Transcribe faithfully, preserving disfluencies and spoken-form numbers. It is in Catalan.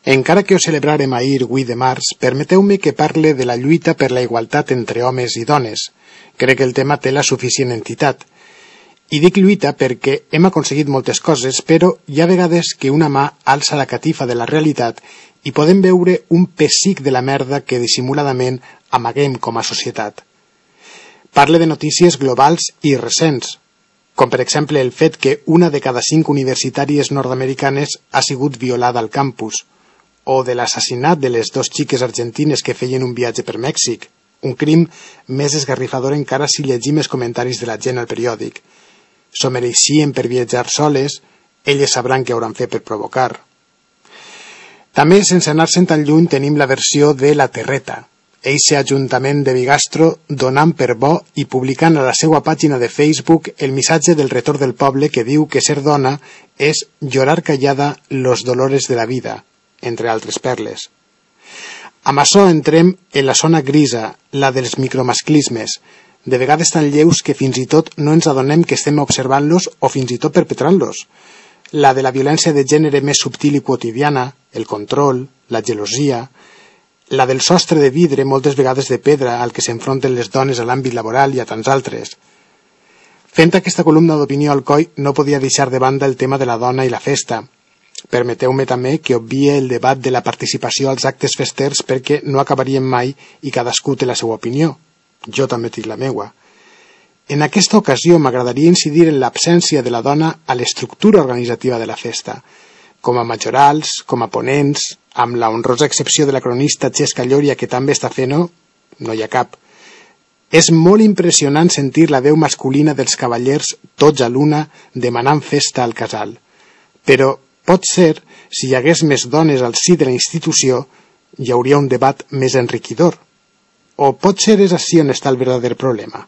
Encara que ho celebrarem ahir, vuit de març, permeteu-me que parle de la lluita per la igualtat entre homes i dones. Crec que el tema té la suficient entitat. I dic lluita perquè hem aconseguit moltes coses, però hi ha vegades que una mà alça la catifa de la realitat i podem veure un pessic de la merda que dissimuladament amaguem com a societat. Parle de notícies globals i recents, com per exemple el fet que una de cada cinc universitàries nord-americanes ha sigut violada al campus, o de l'assassinat de les dues xiques argentines que feien un viatge per Mèxic, un crim més esgarrifador encara si llegim els comentaris de la gent al periòdic. S'ho mereixien per viatjar soles, elles sabran què hauran fet per provocar. També, sense anar-se'n tan lluny, tenim la versió de La Terreta, eixe ajuntament de Bigastro donant per bo i publicant a la seva pàgina de Facebook el missatge del retorn del poble que diu que ser dona és llorar callada los dolores de la vida, entre altres perles. Amb això entrem en la zona grisa, la dels micromasclismes, de vegades tan lleus que fins i tot no ens adonem que estem observant-los o fins i tot perpetrant-los. La de la violència de gènere més subtil i quotidiana, el control, la gelosia, la del sostre de vidre, moltes vegades de pedra, al que s'enfronten les dones a l'àmbit laboral i a tants altres. Fent aquesta columna d'opinió al coll, no podia deixar de banda el tema de la dona i la festa. Permeteu-me també que obvie el debat de la participació als actes festers perquè no acabaríem mai i cadascú té la seva opinió. Jo també tinc la meua. En aquesta ocasió m'agradaria incidir en l'absència de la dona a l'estructura organitzativa de la festa, com a majorals, com a ponents, amb la honrosa excepció de la cronista Xesca Llòria que també està fent-ho, no hi ha cap. És molt impressionant sentir la veu masculina dels cavallers tots a l'una demanant festa al casal. Però pot ser, si hi hagués més dones al si de la institució, hi hauria un debat més enriquidor. O potser és així on està el verdader problema.